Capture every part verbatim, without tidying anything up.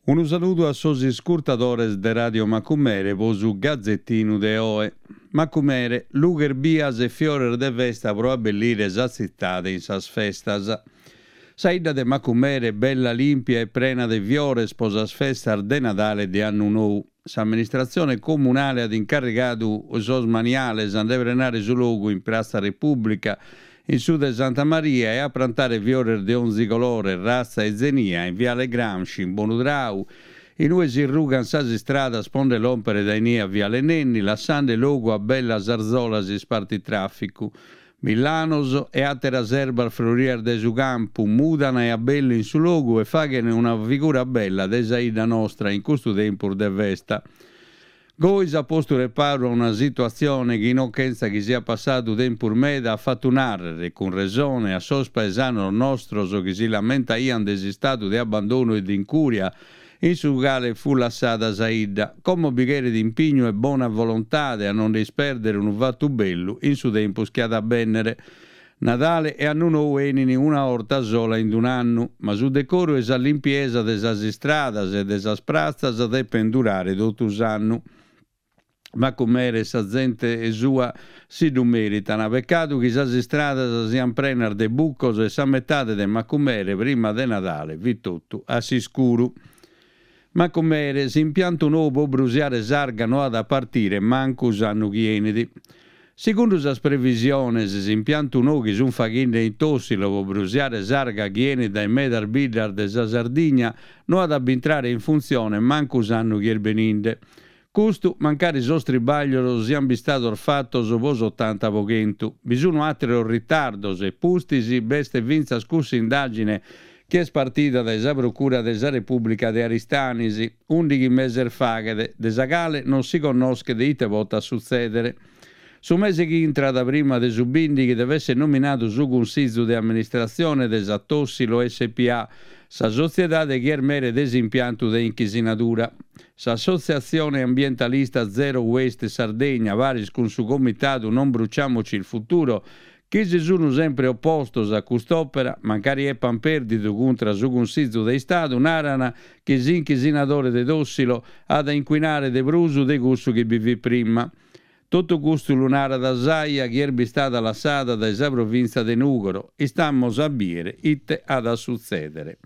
Unu saludu a sos iscurtadores de Radio Macumere po su Gazetinu de oe. Macumere, lughes bias e fiores de festa pro abbellire sa tzitade in sas festas. Sa 'idda de Macumere bella limpia e prena de fiores po sas festas de Nadale e de Annu Nou. S'amministratzione comunale at incarrigadu sos maniales a nde prenare su logu in Pratza Repùblica, in su de Santa Maria e a prantare fiores de onzi colore, ratza e zenia in Viale Gramsci, in Bonu Trau, in ue si rugant sas istradas po nde lòmpere dae inie a Viale Nenni, lassande logu a bellas arzolas ispartitràficu. Millanos e àteras erbas frorias dae su campu mudan e abbellin su logu e faghen una figura bella de sa 'idda nostra in custu tempus de festa. Goi s'at postu reparu a una situatzione chi non chentza chi siat passadu tempus meda at fatu nàrrere, cun resone, a sos paesanos nostros chi si lamentaian de s'istadu de abbandonu e d'incuria in su cale fut lassada sa 'idda. Como bi cheret impignu e bona volontade a non nde ispèrdere unu fatu bellu in su tempus chi at a bènnere. Nadale e Annu Nou 'enin una 'orta sola in un'annu, ma su decoru e sa limpiesa de sas istradas e de sas pratzas depen durare totu s'annu. Macumere e sa zente sua si ddu meritan. Pecadu chi sas istradas sian prenas de bucos e sa metade de Macumere prima de Nadale fit totu a s'iscuru. Macumere, s'impiantu nou po brusiare s'arga no at a partire mancu s'annu chi 'enit. Segundu sas previsiones, s'impiantu nou chi sunt faghende in Tossilo po brusiare s'arga chi 'enit dae medas biddas de sa Sardigna no at a bintrare in funtzione mancu s'annu chi est beninde. Custu mancari sos tribaglios siant bistados fatos po s'otanta po chentu. Bi sunu àteros ritardos e pustis b'est fintzas cussa indàgine chi est partida dae sa Procura de sa Repùblica de Aristanis, ùndighi meses faghet, de sa cale non si connoschet ite potat sutzèdere. Su mese chi intrat, prima de su bìndighi, devet èssere nominadu su Cunsizu de Amministratzione de sa Tossilo SPA, sa sotziedade chi est mere de s'impiantu de inchisinadura. S'assotziatzione ambientalista Zero Waste Sardegna, paris cun su comitadu Non Bruciamoci il Futuro, chi si sunu sempre opostos a cust'òpera, mancari epan pèrdidu cuntra su Cunsizu de Istadu, naran chi s'inchisinadore de Tossilo at a incuinare de prus de cussu chi bi fit prima. Totu custu lu narat s'AIA chi est bistada lassada dae sa provìntzia de Nùgoro. Istamos a bìere ite at a sutzèdere.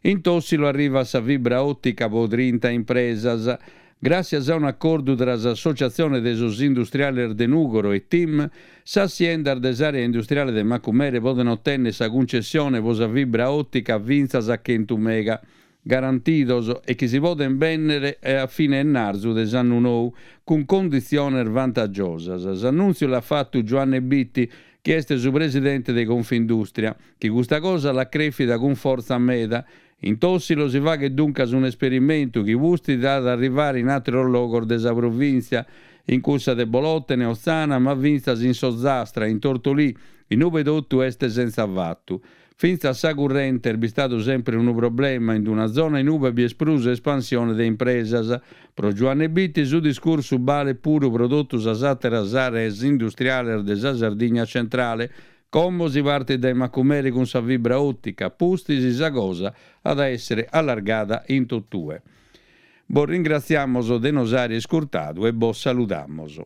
In Tossilo arrivat sa fibra òtica pro trinta impresas. Gràssias a un'acordu tra s'Associatzione de sos Industriales de Nùgoro e TIM, sas siendas de s'àrea industriale de Macumere podent otènnere sa cuncessione pro sa fibra òtica fintzas a chentu mega garantidos e chi si podent bènnere a fine 'ennarzu de s'annu nou, cun conditziones vantagiosas. S'annùntziu l'at fatu Giuanne Bitti, chi est su presidente de Confindustria, chi custa cosa l'at crèfida cun fortza meda. In Tossilo si faghet duncas un'esperimentu chi pustis at a arrivare in àteros logos de sa provìntzia, in cussa de Bolòtene, Otzana, ma fintzas in s'Ozastra, in Tortolì, in ube totu est sentza fatu. Fintzas sa currente est bistadu sempre unu problema in una zona in ube bi est prus espansione de impresas. Pro Giuanne Bitti su discursu balet puru pro totu sas àteras àreas industriales de sa Sardigna centrale. Como si partit dae Macumere cun sa fibra òtica, pustis sa cosa at a èssere allargada in totue. Bos ringratziamos de nos àere iscurtadu e bos saludamos.